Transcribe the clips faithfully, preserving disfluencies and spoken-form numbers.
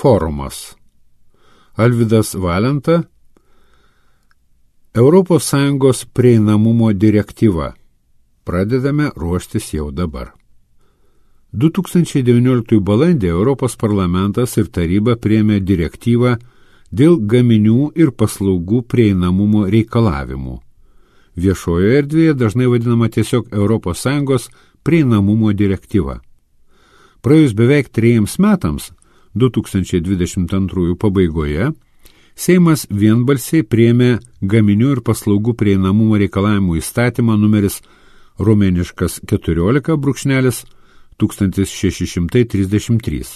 forumas. Alvydas Valenta, Europos Sąjungos prieinamumo direktyva. Pradedame ruoštis jau dabar. du tūkstančiai devynioliktųjų balandį Europos parlamentas ir taryba priėmė direktyvą dėl gaminių ir paslaugų prieinamumo reikalavimų. Viešojoje erdvėje dažnai vadinama tiesiog Europos Sąjungos prieinamumo direktyva. Praėjus beveik trejiems metams, du tūkstančiai dvidešimt antrųjų pabaigoje, Seimas vienbalsiai priėmė gaminių ir paslaugų prieinamumo reikalavimų įstatymą numeris romėniškas keturiolika brūkšnelis tūkstantis šeši šimtai trisdešimt trys.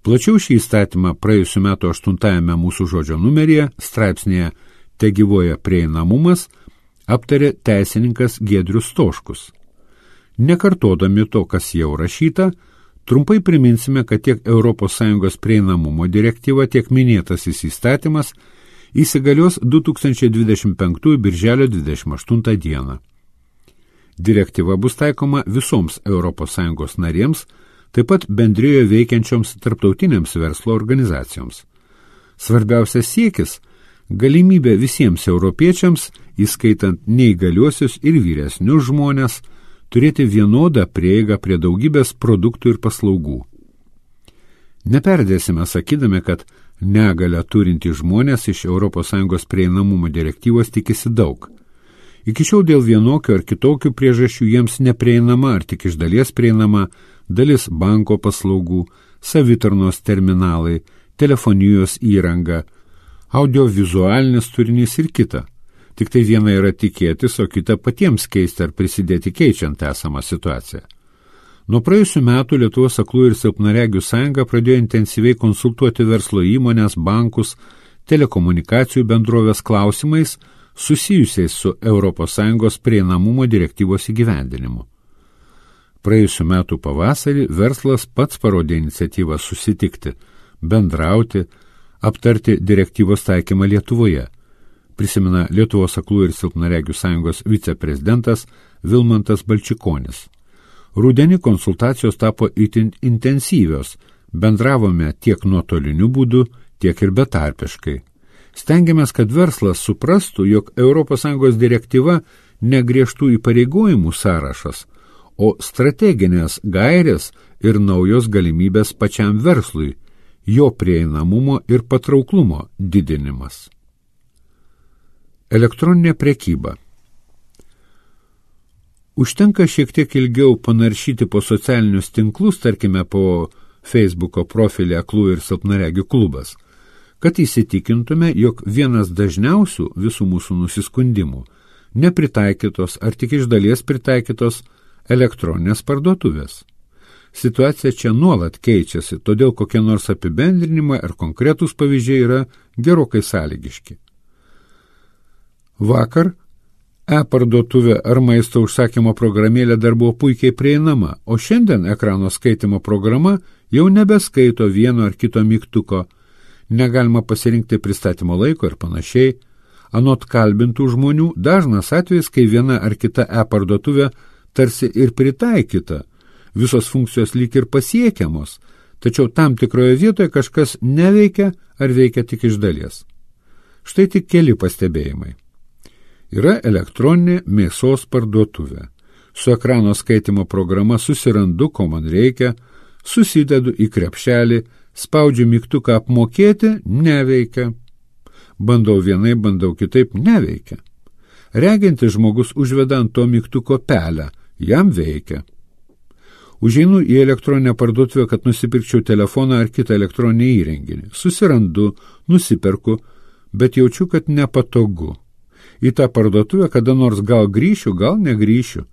Plačiau šį įstatymą praėjusiu metu aštuntajame mūsų žodžio numeryje straipsnėje Tegyvoja prieinamumas aptarė teisininkas Giedrius Stoškus. Nekartodami to, kas jau rašyta, trumpai priminsime, kad tiek Europos Sąjungos prieinamumo direktyva, tiek minėtasis įstatymas įsigalios du tūkstančiai dvidešimt penktųjų birželio dvidešimt aštuntą dieną. Direktyva bus taikoma visoms Europos Sąjungos narėms, taip pat bendrijoje veikiančioms tarptautinėms verslo organizacijoms. Svarbiausias siekis – galimybė visiems europiečiams, įskaitant neįgaliuosius ir vyresnius žmonės, turėti vienodą prieigą prie daugybės produktų ir paslaugų. Neperdėsime sakydami, kad negalią turintys žmonės iš Europos Sąjungos prieinamumo direktyvos tikisi daug. Iki šiol dėl vienokių ar kitokių priežasčių jiems neprieinama ar tik iš dalies prieinama dalis banko paslaugų, savitarnos terminalai, telefonijos įranga, audiovizualinis turinys ir kita. Tik tai viena yra tikėtis, o kita patiems keisti ar prisidėti keičiant esamą situaciją. Nuo praėjusių metų Lietuvos aklųjų ir silpnaregių sąjunga pradėjo intensyviai konsultuoti verslo įmonės, bankus, telekomunikacijų bendrovės klausimais, susijusiais su Europos Sąjungos prieinamumo direktyvos įgyvendinimu. Praėjusiu metu pavasarį verslas pats parodė iniciatyvą susitikti, bendrauti, aptarti direktyvos taikymą Lietuvoje, prisimena Lietuvos aklųjų ir silpnaregių sąjungos viceprezidentas Vilmantas Balčikonis. Rudenį konsultacijos tapo itin intensyvios, bendravome tiek nuotoliniu būdu, tiek ir betarpiškai. Stengiamės, kad verslas suprastų, jog Europos Sąjungos direktyva ne griežtų įpareigojimų sąrašas, o strateginės gairės ir naujos galimybės pačiam verslui, jo prieinamumo ir patrauklumo didinimas. Elektroninė prekyba. Užtenka šiek tiek ilgiau panaršyti po socialinius tinklus, tarkime po Facebooko profilį Aklųjų ir silpnaregių klubas, kad įsitikintume, jog vienas dažniausių visų mūsų nusiskundimų nepritaikytos ar tik iš dalies pritaikytos elektroninės parduotuvės. Situacija čia nuolat keičiasi, todėl kokie nors apibendrinimai ar konkretūs pavyzdžiai yra gerokai sąlygiški. Vakar e-parduotuvė ar maisto užsakymo programėlė dar buvo puikiai prieinama, o šiandien ekrano skaitimo programa jau nebeskaito vieno ar kito mygtuko, negalima pasirinkti pristatymo laiko ir panašiai. Anot kalbintų žmonių dažnas atvejis, kai viena ar kita e-parduotuvė tarsi ir pritaikyta, visos funkcijos lyg ir pasiekiamos, tačiau tam tikroje vietoje kažkas neveikia ar veikia tik iš dalies. Štai tik keli pastebėjimai. Yra elektroninė mėsos parduotuvė. Su ekrano skaitimo programa susirandu, ko man reikia, susidedu į krepšelį, spaudžiu mygtuką apmokėti, neveikia. Bandau vienai, bandau kitaip, neveikia. Regintis žmogus užveda ant to mygtuko pelę, jam veikia. Užeinu į elektroninę parduotuvę, kad nusipirkčiau telefoną ar kitą elektroninį įrenginį. Susirandu, nusiperku, bet jaučiu, kad nepatogu. Į tą parduotuvę kada nors gal grįšiu, gal negrįšiu.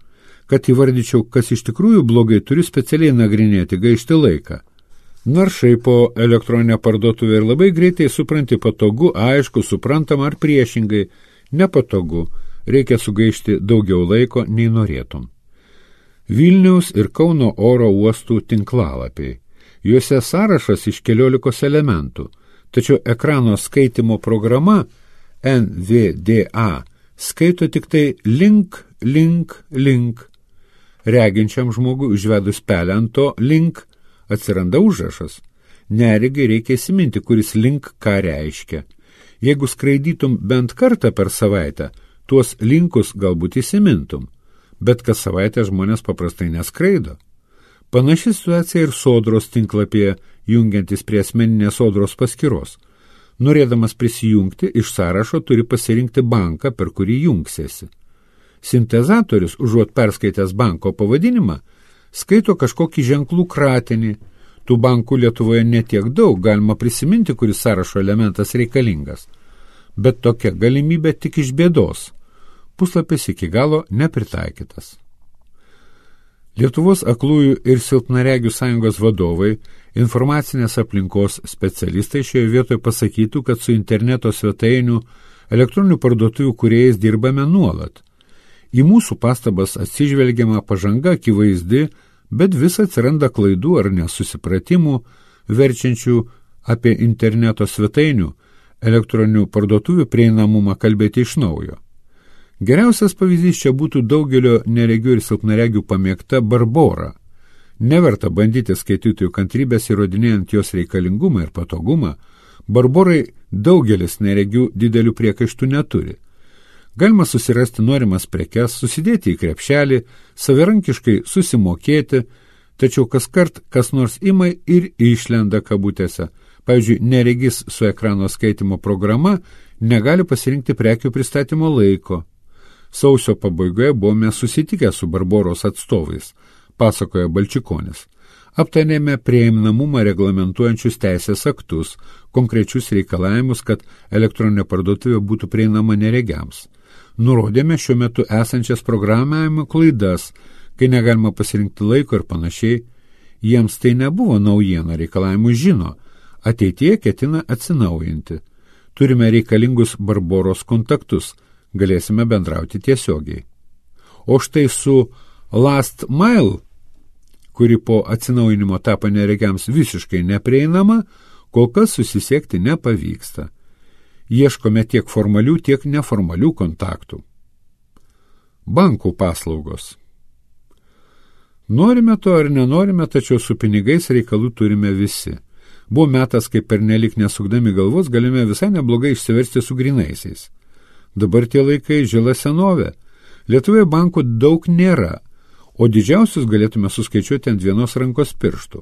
Kad įvardyčiau, kas iš tikrųjų blogai, turiu specialiai nagrinėti, gaišti laiką. Naršai po elektroninę parduotuvę ir labai greitai supranti patogu, aišku, suprantama ar priešingai, nepatogu, reikia sugaišti daugiau laiko nei norėtum. Vilniaus ir Kauno oro uostų tinklalapiai. Juose sąrašas iš keliolikos elementų, tačiau ekrano skaitimo programa N V D A skaito tik tai link, link, link. Reginčiam žmogui užvedus pelę ant to link atsiranda užrašas. Neregiai reikia įsiminti, kuris link ką reiškia. Jeigu skraidytum bent kartą per savaitę, tuos linkus galbūt įsimintum, bet kas savaitę žmonės paprastai neskraido. Panaši situacija ir Sodros tinklapyje, jungiantis prie asmeninės Sodros paskyros. Norėdamas prisijungti, iš sąrašo turi pasirinkti banką, per kurį jungsiesi. Sintezatorius, užuot perskaitęs banko pavadinimą, skaito kažkokį ženklų kratinį. Tų bankų Lietuvoje netiek daug, galima prisiminti, kuris sąrašo elementas reikalingas. Bet tokia galimybė tik iš bėdos. Puslapis iki galo nepritaikytas. Lietuvos aklųjų ir silpnaregių sąjungos vadovai, informacinės aplinkos specialistai šioje vietoje pasakytų, kad su interneto svetainių, elektroninių parduotuvių kūrėjais dirbame nuolat. Į mūsų pastabas atsižvelgiama pažanga akivaizdi, bet vis atsiranda klaidų ar nesusipratimų, verčiančių apie interneto svetainių, elektroninių parduotuvių prieinamumą kalbėti iš naujo. Geriausias pavyzdys čia būtų daugelio neregių ir silpnaregių pamėgta Barbora. Neverta bandyti skaitytojų kantrybės įrodinėjant jos reikalingumą ir patogumą. Barborai daugelis neregių didelių priekaištų neturi. Galima susirasti norimas prekes, susidėti į krepšelį, savarankiškai susimokėti, tačiau kaskart kas nors ima ir išlenda kabutėse. Pavyzdžiui, neregis su ekrano skaitimo programa negali pasirinkti prekių pristatymo laiko. Sausio pabaigoje buvome susitikę su Barboros atstovais, pasakoja Balčikonis. Aptarėme prieinamumą reglamentuojančius teisės aktus, konkrečius reikalavimus, kad elektroninė parduotuvė būtų prieinama neregiams. Nurodėme šiuo metu esančias programavimo klaidas, kai negalima pasirinkti laiko ir panašiai. Jiems tai nebuvo naujiena, reikalavimus žino. Ateityje ketina atsinaujinti. Turime reikalingus Barboros kontaktus, galėsime bendrauti tiesiogiai. O štai su Last Mile, kuri po atsinaujinimo tapo neregiams visiškai neprieinama, kol kas susisiekti nepavyksta. Ieškome tiek formalių, tiek neformalių kontaktų. Bankų paslaugos. Norime to ar nenorime, tačiau su pinigais reikalų turime visi. Buvo metas, kai pernelik nesukdami galvos galime visai neblogai išsiversti su grinaisiais. Dabar tie laikai žila senovė. Lietuvoje bankų daug nėra, o didžiausius galėtume suskaičiuoti ant vienos rankos pirštų.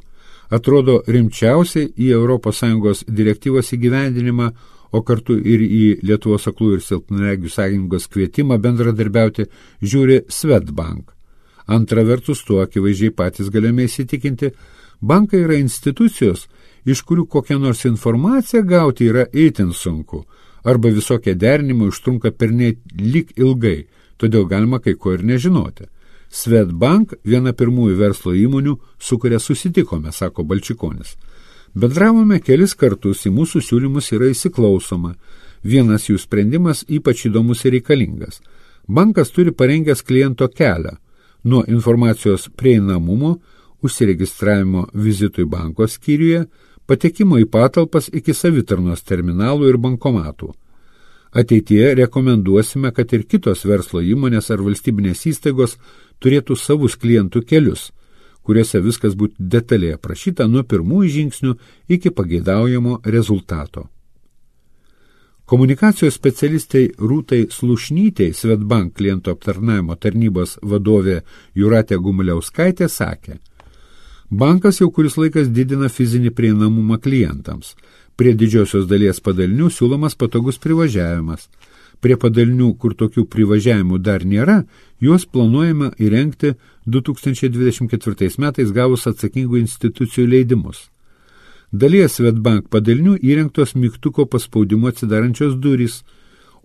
Atrodo, rimčiausiai į Europos Sąjungos direktyvos įgyvendinimą, o kartu ir į Lietuvos aklųjų ir silpnaregių sąjungos kvietimą bendradarbiauti žiūri Swedbank. Antra vertus, tuo akivaizdžiai patys galime įsitikinti, bankai yra institucijos, iš kurių kokią nors informaciją gauti yra itin sunku, arba visokie derinimai užtrunka pernelyg ilgai, todėl galima kai ko ir nežinoti. Swedbank viena pirmųjų verslo įmonių, su kuria susitikome, sako Balčikonis. Bendravome kelis kartus, į mūsų siūlymus yra įsiklausoma. Vienas jų sprendimas ypač įdomus ir reikalingas. Bankas turi parengęs kliento kelią nuo informacijos prieinamumo, užsiregistravimo vizitui banko skyriuje, patekimo į patalpas iki savitarnos terminalų ir bankomatų. Ateityje rekomenduosime, kad ir kitos verslo įmonės ar valstybinės įstaigos turėtų savus klientų kelius, kuriuose viskas būtų detaliai aprašyta nuo pirmųjų žingsnių iki pageidaujamo rezultato. Komunikacijos specialistai Rūtai Slušnytei, Swedbank klientų aptarnavimo tarnybos vadovė Jūratė Gumuliauskaitė sakė, bankas jau kuris laikas didina fizinį prieinamumą klientams. Prie didžiosios dalies padalinių siūlomas patogus privažiavimas. Prie padalinių, kur tokių privažiavimų dar nėra, juos planuojama įrengti du tūkstančiai dvidešimt ketvirtais metais gavus atsakingų institucijų leidimus. Dalies Swedbank padalinių įrengtos mygtuko paspaudimu atsidarančios durys,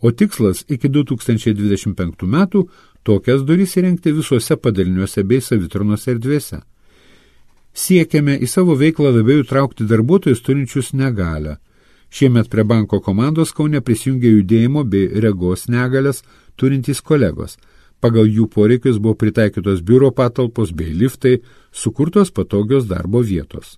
o tikslas iki du tūkstančiai dvidešimt penktų metų tokias durys įrengti visuose padaliniuose bei savitarnos erdvėse. Siekiame į savo veiklą labiau įtraukti darbuotojus turinčius negalią. Šiemet prie banko komandos Kaune prisijungė judėjimo bei regos negalias turintys kolegos. Pagal jų poreikius buvo pritaikytos biuro patalpos bei liftai, sukurtos patogios darbo vietos.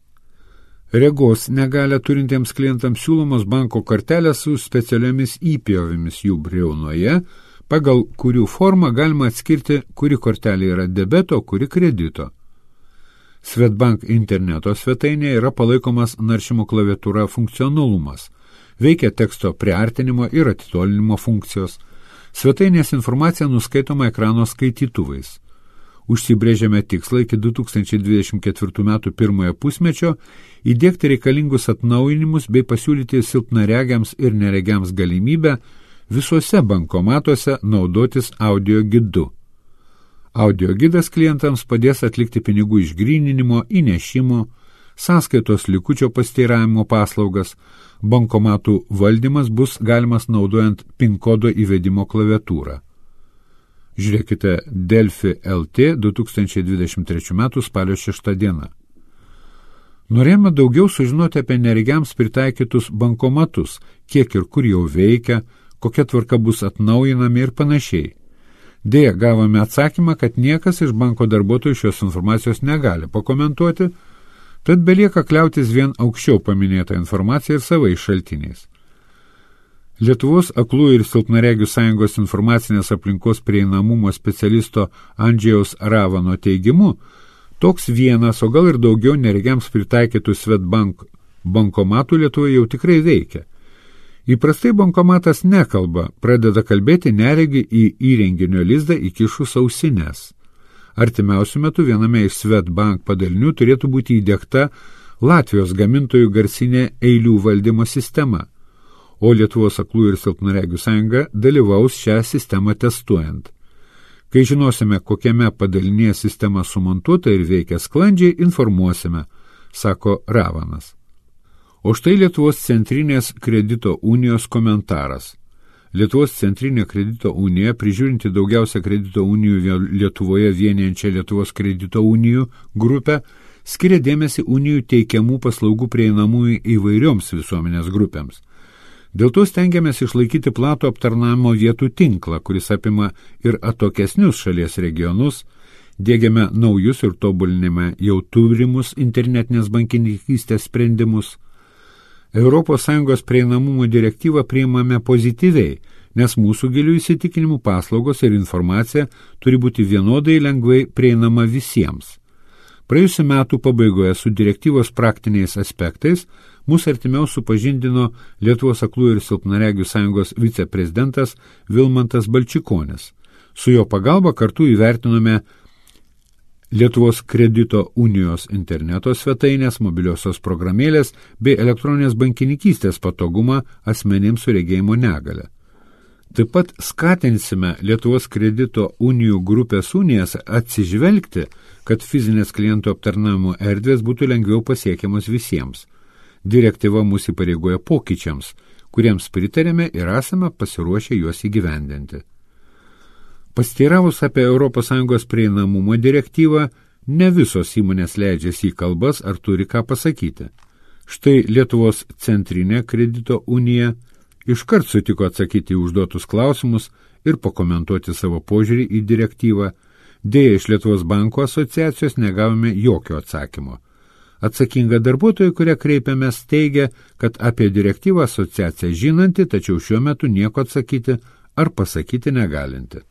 Regos negalią turintiems klientams siūlomos banko kortelės su specialiomis įpjovėmis jų briaunoje, pagal kurių formą galima atskirti, kuri kortelė yra debeto, kuri kredito. Swedbank interneto svetainėje yra palaikomas naršymo klaviatūra funkcionalumas. Veikia teksto priartinimo ir atitolinimo funkcijos. Svetainės informacija nuskaitoma ekrano skaitytuvais. Užsibrėžėme tikslą iki du tūkstančiai dvidešimt ketvirtų metų pirmojo pusmečio įdiegti reikalingus atnaujinimus bei pasiūlyti silpnaregiams ir neregiams galimybę visuose bankomatuose naudotis audio gidu. Audio gidas klientams padės atlikti pinigų išgryninimo, įnešimo, sąskaitos likučio pasteiravimo paslaugas, bankomatų valdymas bus galimas naudojant PIN kodo įvedimo klaviatūrą. Žiūrėkite Delfi L T du tūkstančiai dvidešimt trečių metų spalio šeštą dieną. Norėjome daugiau sužinoti apie neregiams pritaikytus bankomatus, kiek ir kur jau veikia, kokia tvarka bus atnaujinami ir panašiai. Deja, gavome atsakymą, kad niekas iš banko darbuotojų šios informacijos negali pakomentuoti, tad belieka kliautis vien aukščiau paminėtą informaciją ir savais šaltiniais. Lietuvos aklųjų ir silpnaregių sąjungos informacinės aplinkos prieinamumo specialisto Andžejaus Ravano teigimu, toks vienas, o gal ir daugiau neregiams pritaikytų Swedbank bankomatų Lietuvoje jau tikrai veikia. Įprastai bankomatas nekalba, pradeda kalbėti neregi į įrenginio lizdą įkišus ausines. Artimiausiu metu viename iš Swedbank padalinių turėtų būti įdiegta Latvijos gamintojų garsinė eilių valdymo sistema, o Lietuvos aklųjų ir silpnaregių sąjunga dalyvaus šią sistemą testuojant. Kai žinosime, kokiame padalinėje sistema sumontuota ir veikia sklandžiai, informuosime, sako Ravanas. O štai Lietuvos centrinės kredito unijos komentaras. Lietuvos centrinė kredito unija, prižiūrinti daugiausia kredito unijų Lietuvoje vienijančią Lietuvos kredito unijų grupę, skiria dėmesį unijų teikiamų paslaugų prieinamųjų įvairioms visuomenės grupėms. Dėl to stengiamės išlaikyti platų aptarnavimo vietų tinklą, kuris apima ir atokesnius šalies regionus, diegiame naujus ir tobulinime jau turimus internetinės bankininkystės sprendimus. Europos Sąjungos prieinamumo direktyvą priimame pozityviai, nes mūsų gilių įsitikinimų paslaugos ir informacija turi būti vienodai lengvai prieinama visiems. Praėjusiu metų pabaigoje su direktyvos praktiniais aspektais mūsų artimiau supažindino Lietuvos aklųjų ir silpnaregių sąjungos viceprezidentas Vilmantas Balčikonis. Su jo pagalba kartu įvertinome Lietuvos kredito unijos interneto svetainės, mobiliosios programėlės bei elektroninės bankininkystės patogumą asmenims su regėjimo negale. Taip pat skatinsime Lietuvos kredito unijų grupės unijas atsižvelgti, kad fizinės klientų aptarnavimo erdvės būtų lengviau pasiekiamos visiems. Direktyva mūsų įpareigoja pokyčiams, kuriems pritarėme ir esame pasiruošę juos įgyvendinti. Pasteiravus apie Europos Sąjungos prieinamumo direktyvą, ne visos įmonės leidžiasi į kalbas ar turi ką pasakyti. Štai Lietuvos centrinė kredito unija iškart sutiko atsakyti į užduotus klausimus ir pakomentuoti savo požiūrį į direktyvą. Deja, iš Lietuvos banko asociacijos negavome jokio atsakymo. Atsakinga darbuotojai, kurie kreipiamės, teigia, kad apie direktyvą asociacija žinanti, tačiau šiuo metu nieko atsakyti ar pasakyti negalinti.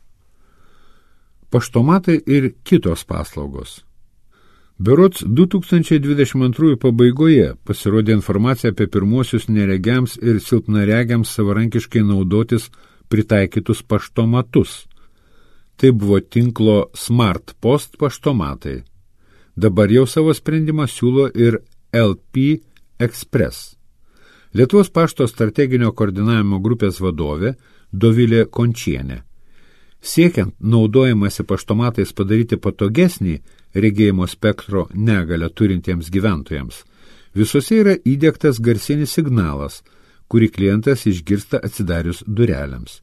Paštomatai ir kitos paslaugos. Berods du tūkstančiai dvidešimt antrųjų pabaigoje pasirodė informacija apie pirmuosius neregiams ir silpnaregiams savarankiškai naudotis pritaikytus paštomatus. Tai buvo tinklo Smart Post paštomatai. Dabar jau savo sprendimą siūlo ir L P Express. Lietuvos pašto strateginio koordinavimo grupės vadovė Dovilė Končienė. Siekiant naudojimąsi paštomatais padaryti patogesnį regėjimo spektro negalę turintiems gyventojams, visose yra įdiegtas garsinis signalas, kurį klientas išgirsta atsidarius durelėms.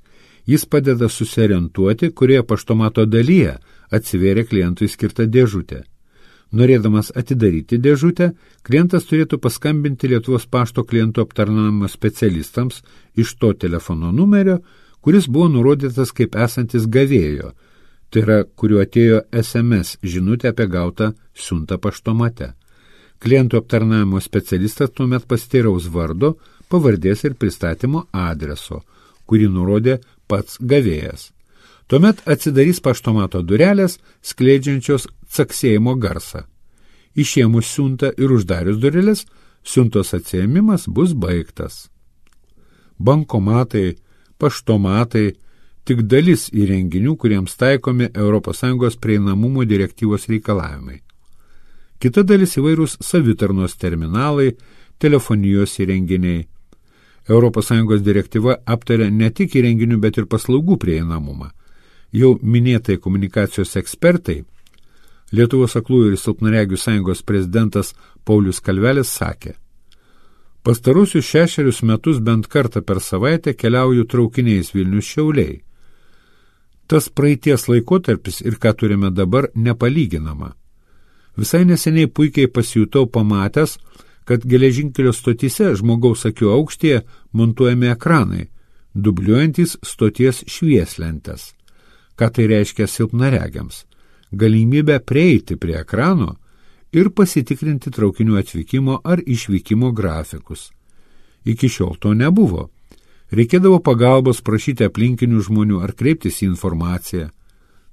Jis padeda susiorientuoti, kurioje paštomato dalyje atsivėrė klientui skirta dėžutė. Norėdamas atidaryti dėžutę, klientas turėtų paskambinti Lietuvos pašto klientų aptarnavimo specialistams iš to telefono numerio, kuris buvo nurodytas kaip esantis gavėjo, tai yra, kuriuo atėjo S M S žinutė apie gautą siuntą paštomate. Klientų aptarnavimo specialistas tuomet pasiteiraus vardo, pavardės ir pristatymo adreso, kurį nurodė pats gavėjas. Tuomet atsidarys paštomato durelės, skleidžiančios caksėjimo garsą. Išėmus siuntą ir uždarius dureles, siuntos atsiėmimas bus baigtas. Bankomatai, paštomatai tik dalis įrenginių, kuriems taikomi Europos Sąjungos prieinamumo direktyvos reikalavimai. Kita dalis įvairūs savitarnos terminalai, telefonijos įrenginiai. Europos Sąjungos direktyva aptaria ne tik įrenginių, bet ir paslaugų prieinamumą. Jau minėtai komunikacijos ekspertai, Lietuvos aklųjų ir silpnaregių sąjungos prezidentas Paulius Kalvelis sakė: pastarusius šešerius metus bent kartą per savaitę keliauju traukiniais Vilnius Šiauliai. Tas praeities laikotarpis ir ką turime dabar nepalyginama. Visai neseniai puikiai pasijutau pamatęs, kad geležinkelio stotyse žmogaus akių aukštyje montuojami ekranai, dubliuojantys stoties švieslentes. Ką tai reiškia silpnaregiams? Galimybę prieiti prie ekrano ir pasitikrinti traukinių atvykimo ar išvykimo grafikus. Iki šiol to nebuvo. Reikėdavo pagalbos prašyti aplinkinių žmonių ar kreiptis į informaciją.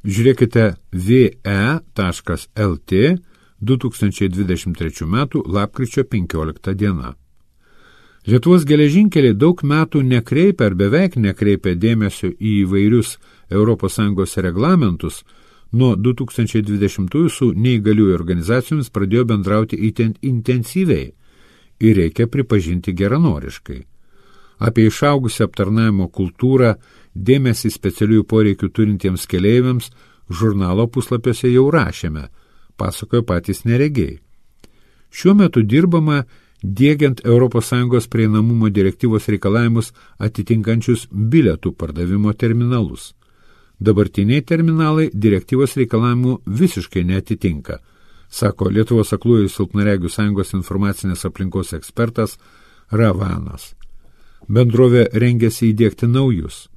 Žiūrėkite v e taškas l t du tūkstančiai dvidešimt trečių metų lapkričio penkiolikta diena. Lietuvos geležinkeliai daug metų nekreipia ar beveik nekreipia dėmesio į įvairius Europos Sąjungos reglamentus. Nuo du tūkstančiai dvidešimtųjų su neįgaliųjų organizacijomis pradėjo bendrauti itin intensyviai ir reikia pripažinti geranoriškai. Apie išaugusią aptarnavimo kultūrą, dėmesį specialiųjų poreikių turintiems keleiviams žurnalo puslapiuose jau rašėme, pasakojo patys neregiai. Šiuo metu dirbama diegiant Europos Sąjungos prieinamumo direktyvos reikalavimus atitinkančius bilietų pardavimo terminalus. Dabartiniai terminalai direktyvos reikalavimų visiškai neatitinka, sako Lietuvos aklųjų ir silpnaregių sąjungos informacinės aplinkos ekspertas Ravanas. Bendrovė rengiasi įdiegti naujus.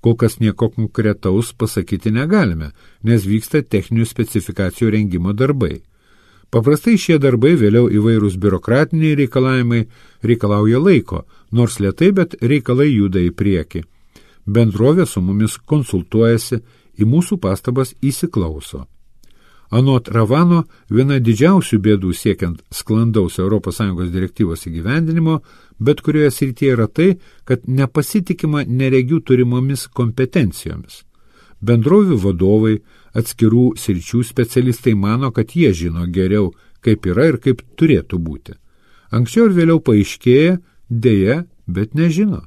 Kol kas nieko konkretaus pasakyti negalime, nes vyksta techninių specifikacijų rengimo darbai. Paprastai šie darbai, vėliau įvairūs biurokratiniai reikalavimai, reikalauja laiko, nors lėtai, bet reikalai juda į priekį. Bendrovė su mumis konsultuojasi, į mūsų pastabas įsiklauso. Anot Ravano, viena didžiausių bėdų siekiant sklandaus Europos Sąjungos direktyvos įgyvendinimo, bet kurioje srityje yra tai, kad nepasitikima neregių turimomis kompetencijomis. Bendrovių vadovai, atskirų sričių specialistai mano, kad jie žino geriau, kaip yra ir kaip turėtų būti. Anksčiau ir vėliau paaiškėja, deja, bet nežino.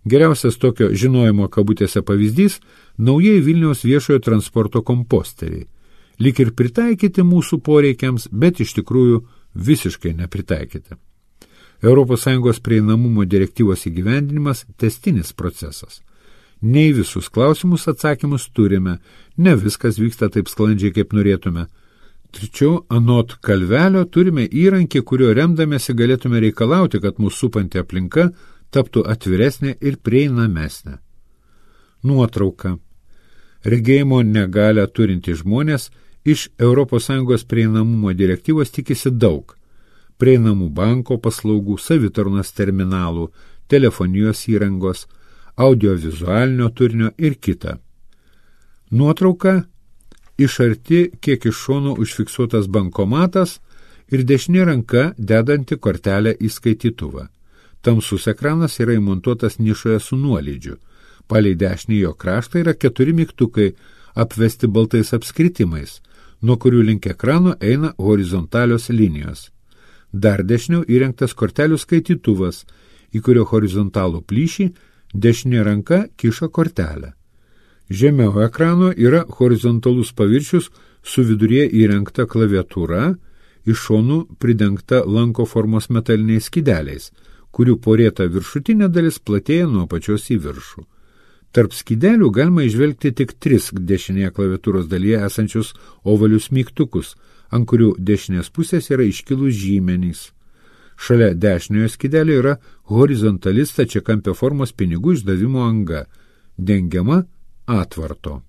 Geriausias tokio žinojimo kabutėse pavyzdys – naujai Vilniaus viešojo transporto komposteriai. Lyg ir pritaikyti mūsų poreikiams, bet iš tikrųjų visiškai nepritaikyti. Europos Sąjungos prieinamumo direktyvos įgyvendinimas – tęstinis procesas. Ne į visus klausimus atsakymus turime, ne viskas vyksta taip sklandžiai, kaip norėtume. Tačiau, anot Kalvelio, turime įrankį, kurio remdamėsi galėtume reikalauti, kad mūsų supanti aplinka taptų atviresnė ir prieinamesnė. Nuotrauka. Regėjimo negalią turinti žmonės iš Europos Sąjungos prieinamumo direktyvos tikisi daug. Prieinamų banko paslaugų, savitarnos terminalų, telefonijos įrangos, audiovizualinio turinio ir kita. Nuotrauka. Iš arti, kiek iš šono užfiksuotas bankomatas ir dešinė ranka dedanti kortelę į skaitytuvą. Tamsus ekranas yra įmontuotas nišoje su nuolydžiu. Palei dešinį jo kraštą yra keturi mygtukai, apvesti baltais apskritimais, nuo kurių link ekrano eina horizontalios linijos. Dar dešiniau įrengtas kortelių skaitytuvas, į kurio horizontalų plyšį dešinė ranka kiša kortelę. Žemiau ekrano yra horizontalus paviršius su viduryje įrengta klaviatūra, iš šonų pridengta lanko formos metaliniais skydeliais, kurių porėta viršutinė dalis platėja nuo pačios į viršų. Tarp skydelių galima įžvelgti tik tris dešinėje klaviatūros dalyje esančius ovalius mygtukus, ant kurių dešinės pusės yra iškilus žymenys. Šalia dešiniojo skydelio yra horizontali stačiakampio formos pinigų išdavimo anga, dengiama atvarto.